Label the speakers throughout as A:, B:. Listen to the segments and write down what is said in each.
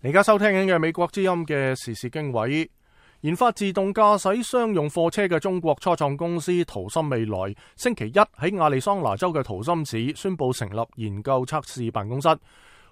A: 而家收聽緊嘅美國之音嘅時事經緯，研發自動駕駛商用貨車嘅中國初創公司圖森未來星期一喺亞利桑那州嘅圖森市宣布成立研究測試辦公室，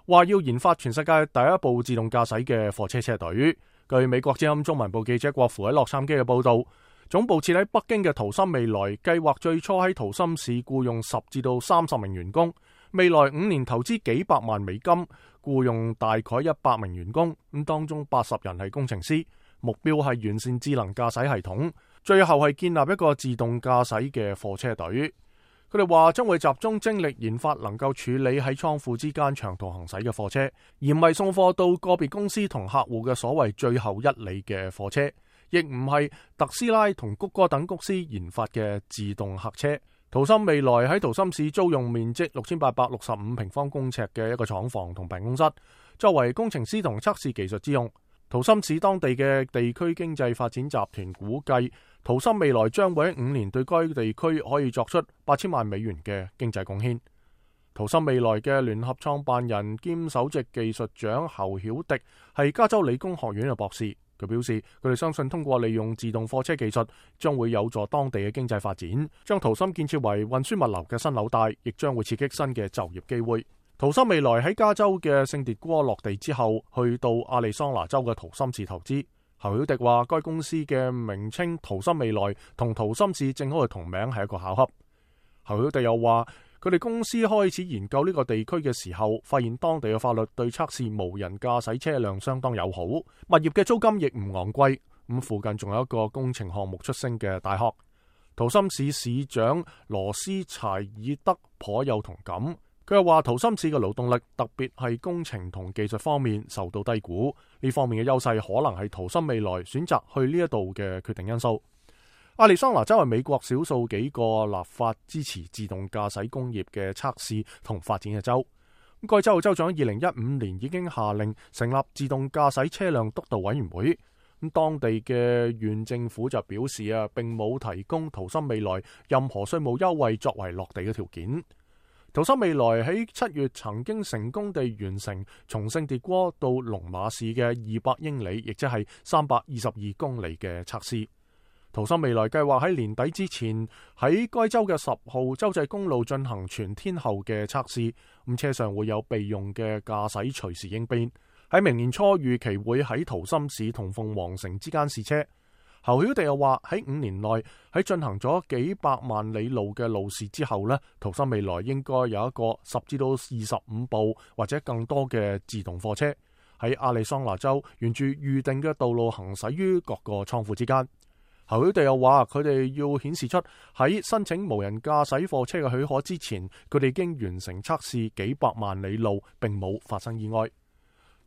A: 話要研發全世界第一部自動駕駛嘅貨車車隊。據美國之音中文部記者郭芙喺洛杉磯嘅報道，總部設喺北京嘅圖森未來計劃最初喺圖森市僱用10至到30名員工，未來5年投資幾百萬美金，僱用大概100名員工，咁當中80人係工程師，目標係完善智能駕駛系統，最後係建立一個自動駕駛嘅貨車隊。佢哋話將會集中精力研發能夠處理喺倉庫之間長途行駛嘅貨車，而唔係送貨到個別公司同客戶嘅所謂最後一里嘅貨車，亦唔係特斯拉同谷歌等公司研發嘅自動客車。圖森未來喺圖森市租用面積6865平方公尺嘅一個廠房同辦公室，作為工程師同測試技術之用。圖森市當地嘅地區經濟發展集團估計，圖森未來將會喺5年對該地區可以作出8000萬美元嘅經濟貢獻。圖森未來嘅聯合創辦人兼首席技術長侯曉迪係加州理工學院嘅博士。佢表示，佢哋相信通過利用自動貨車技術，將會有助當地嘅經濟發展，將圖森建設為運輸物流嘅新紐帶，亦將會刺激新嘅就業機會。圖森未來喺加州嘅聖迭戈落地之後，去到亞利桑那州嘅圖森市投資。侯曉迪話，該公司嘅名稱圖森未來同圖森市正好嘅同名係一個巧合。侯曉迪又話，佢哋公司開始研究呢個地區嘅時候，發現當地嘅法律對測試無人駕駛車輛相當友好，物業嘅租金亦唔昂貴。咁附近仲有一個工程項目出星嘅大學。圖森市市長羅斯柴爾德頗有同感，佢又話圖森市嘅勞動力，特別係工程同技術方面受到低估，呢方面嘅優勢可能係圖森未來選擇去呢一度嘅決定因素。亞利桑那州係美國少數幾個立法支持自動駕駛工業嘅測試同發展嘅州。該州嘅州長2015年已經下令成立自動駕駛車輛督導委員會。咁當地嘅縣政府就表示並冇提供圖森未來任何稅務優惠作為落地嘅條件。圖森未來喺7月曾經成功地完成從聖迭戈到龍馬市嘅200英里，亦即係322公里嘅測試。圖森未來計劃喺年底之前喺該州嘅10號州際公路進行全天候嘅測試，咁車上會有備用嘅駕駛隨時應變。喺明年初預期會喺圖森市同鳳凰城之間試車。侯曉迪又話喺5年內喺進行咗幾百萬里路嘅路試之後呢，圖森未來應該有一個10至到25部或者更多嘅自動貨車喺亞利桑那州沿住預定嘅道路行駛於各個倉庫之間。侯曉迪又話，佢哋要顯示出喺申請無人駕駛貨車嘅許可之前，佢哋已經完成測試幾百萬里路，並冇發生意外。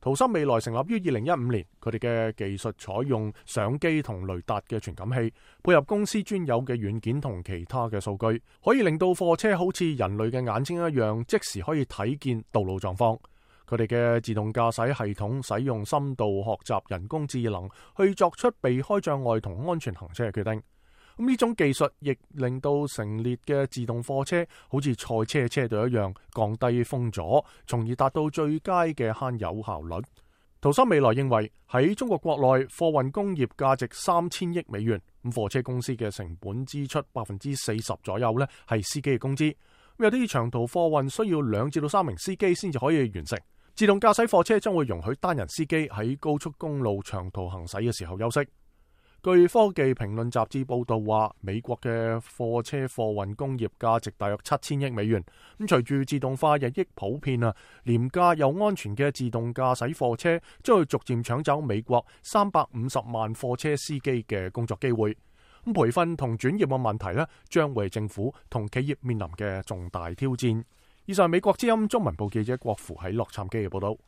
A: 圖森未來成立於2015年，佢哋嘅技術採用相機同雷達嘅傳感器，配合公司專有嘅軟件同其他嘅數據，可以令到貨車好似人類嘅眼睛一樣，即時可以睇見道路狀況。佢哋嘅自動駕駛系統使用深度學習人工智能去作出避開障礙同安全行車嘅決定。咁呢種技術亦令到成列嘅自動貨車好似賽車車隊一樣降低風阻，從而達到最佳嘅慳油效率。圖森未來認為喺中國國內貨運工業價值3000億美元，咁貨車公司嘅成本支出40%左右呢係司機嘅工資。有啲長途貨運需要2至到3名司機先至可以完成。自動駕駛貨車將會容許單人司機喺高速公路長途行駛嘅時候休息。據科技評論雜誌報道話，美國嘅貨車貨運工業價值大約7000億美元。咁隨住自動化日益普遍廉價又安全嘅自動駕駛貨車將會逐漸搶走美國350萬貨車司機嘅工作機會。咁培訓同轉業嘅問題將為政府同企業面臨嘅重大挑戰。以上美國之音中文部記者郭芙喺洛杉磯嘅報道。